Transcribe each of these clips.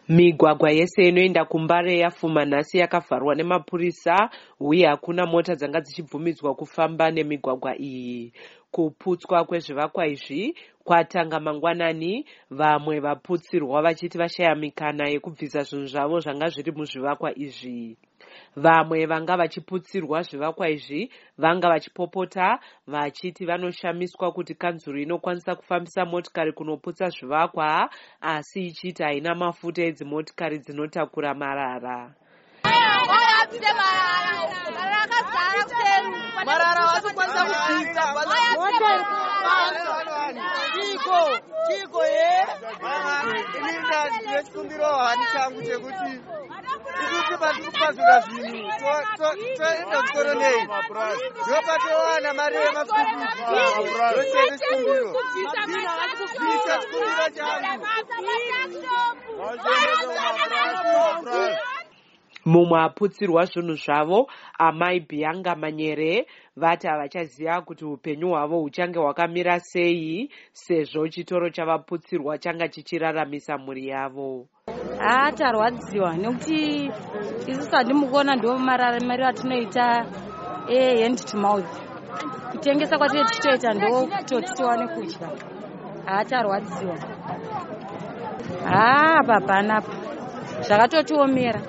Migwagwa yese inoenda kuMbare yafuma nhasi yakavharwa nemapurisa uye hakuna mota dzanga dzichibvumidzwa kufamba nemigwagwa iyi. Kuputswa kwezvivakwa izvi kwatanga mangwanani, vamwe vaputsirwa vachiti vashaya mikana yekubvisa zvinhu zvavo zvanga zviri muzvivakwa izvi. Vamwe vanga vachiputsirwa zvivakwa izvi vanga vachipopota vachiti vanoshamiswa kuti kanzuru inokwanisa kufambisa motikari kunoputsa zvivakwa asi ichiti haina mafuta edzimotikari dzinotakura marara. Marara vasokwanisa kubvisa chiko chiko ye. Ini ndine chikumbiro hani changu chekuti isusu patiri kupazura zvinhu toenda kuchikoro nei, ndopatowana mari yemaschool fees. Ndochete chikumbiro, bvisa chikumbiro changu. Mumwe aputsirwa zvinhu zvavo, Amai Bianca Manyere, vati havachaziva kuti upenyu hwavo huchange hwakamira sei sezvo chitoro chavaputsirwa changa chichiraramisa mhuri yavo. Haa, tarwadziwa nekuti isusu handimukuona ndo mararamiro atinoita ehand to mouth. Kutengesa kwatinenge tichitoita ndo kutoti tiwane kudya. Haa, tarwadziwa. Haa, apa panapa zvakatotiomera.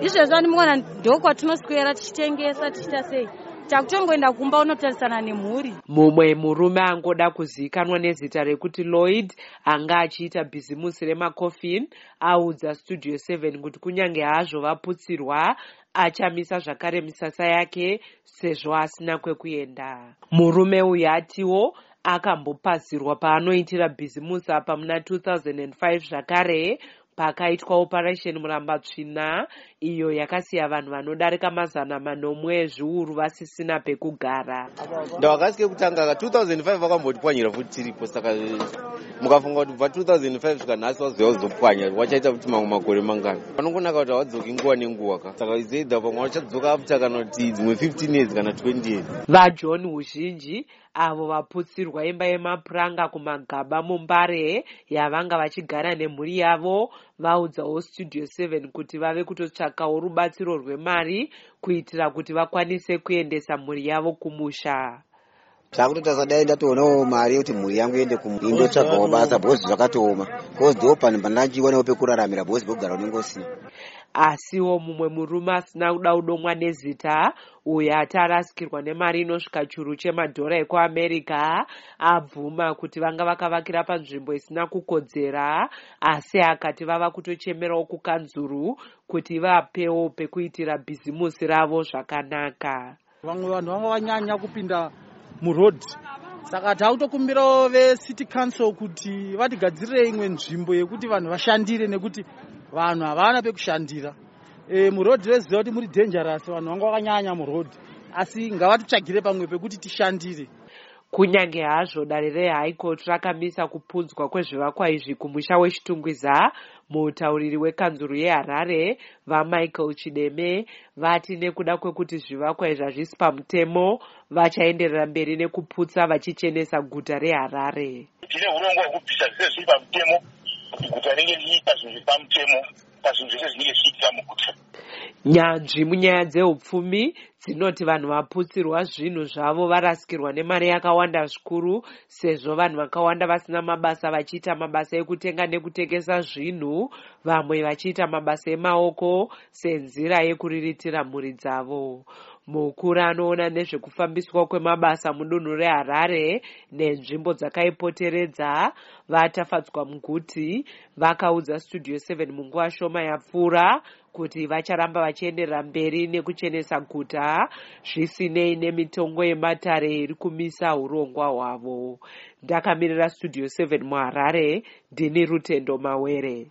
Izvezvi handimukuona ndo kwatinoswera tichitengesa, tichiita sei, takutongoenda kumba unotarisana nemhuri. Mumwe murume angoda kuzivikanwa nezita rekuti Lloyd, anga achiita bhizimusi remakofin, audza Studio 7 kuti kunyange hazvo vaputsirwa, achamisa zvakare misasa yake sezvo asina kwekuenda. Murume uyu atiwo akambopazirwa paanoitira bhizimusi apa muna 2005 zvakare, pakaitwa Operation Murambatsvina, iyo yakasiya vanhu vanodarika 700 ezviuru vasisina pekugara. Ndawakasike kutanga ka 2005 vakambotipwanyira futi tiripo. Saka mukafunga kuti kubva 2005 svika nhasi wazouya kuzopwanya, wachaita kuti mamwe makore mangani? Vanongonaka kuti havadzoki nguva nenguva ka. Saka is either pamwe vachadzoka after kana kuti dzimwe 15 years kana 20 years. VaJohn Huzhinji, avo vaputsirwa imba yemapuranga kuMagaba muMbare yavanga vachigara nemhuri yavo, vaudzawo Studio 7 kuti vave kutotsvakawo rubatsiro rwemari kuitira kuti vakwanise kuendesa mhuri yavo kumusha. Zvakutotarisa, dai ndatoonawo mari yekuti mhuri yangu iende, indotsvagawo basa, because zvakatooma, because ndo panhu pandachiwanawo pekuraramira, because pekugara unenge usina. Asiwo mumwe murume asina kuda kudomwa nezita, uyo ati arasikirwa nemari inosvika churu chemadhora ekuAmerica, abvuma kuti vanga vakavakira panzvimbo isina kukodzera, asi akati vava kutochemerawo kukanzuru kuti vapewo pekuitira bhizimusi ravo zvakanaka. Vamwe vanhu vanga vanyanya kupinda muroad, saka takutokumbirawo vecity council kuti vatigadzirire imwe nzvimbo yekuti vanhu vashandire, nekuti vanhu havana pekushandira. Muroad veziva kuti muri dangerous, vanhu vanga vakanyanya muroad, asi ngavatitsvagire pamwe pekuti tishandire. Kunyange hazvo dare rehigh court rakamisa kupunzwa kwezvivakwa izvi kumusha weChitungwiza, mutauriri wekanzuru yeHarare, VaMichael Chideme, vati nekuda kwekuti zvivakwa izvi hazvisi pamutemo, vachaenderera mberi nekuputsa vachichenesa guta reHarare. Tine urongwa hwekubvisa zvese zviri pamutemo kuti guta ringe richiita zvinhu zviri pamutemo pazvinhu zvese zvinenge zvichiitika muguta. Nyanzvi munyaya dzeupfumi dzinoti vanhu vaputsirwa zvinhu zvavo varasikirwa nemari yakawanda zvikuru, sezvo vanhu vakawanda vasina mabasa vachiita mabasa ekutenga nekutengesa zvinhu, vamwe vachiita mabasa emaoko senzira yekuriritira mhuri dzavo. Mukuru anoona nezvekufambiswa kwemabasa mudunhu reHarare nenzvimbo dzakaipoteredza, VaTafadzwa Muguti, vakaudza Studio 7 munguva shoma yapfuura kuti vacharamba vachienderera mberi nekuchenesa guta zvisinei nemitongo yematare iri kumisa urongwa hwavo. Ndakamirira Studio 7 muHarare, ndini Rutendo Mawere.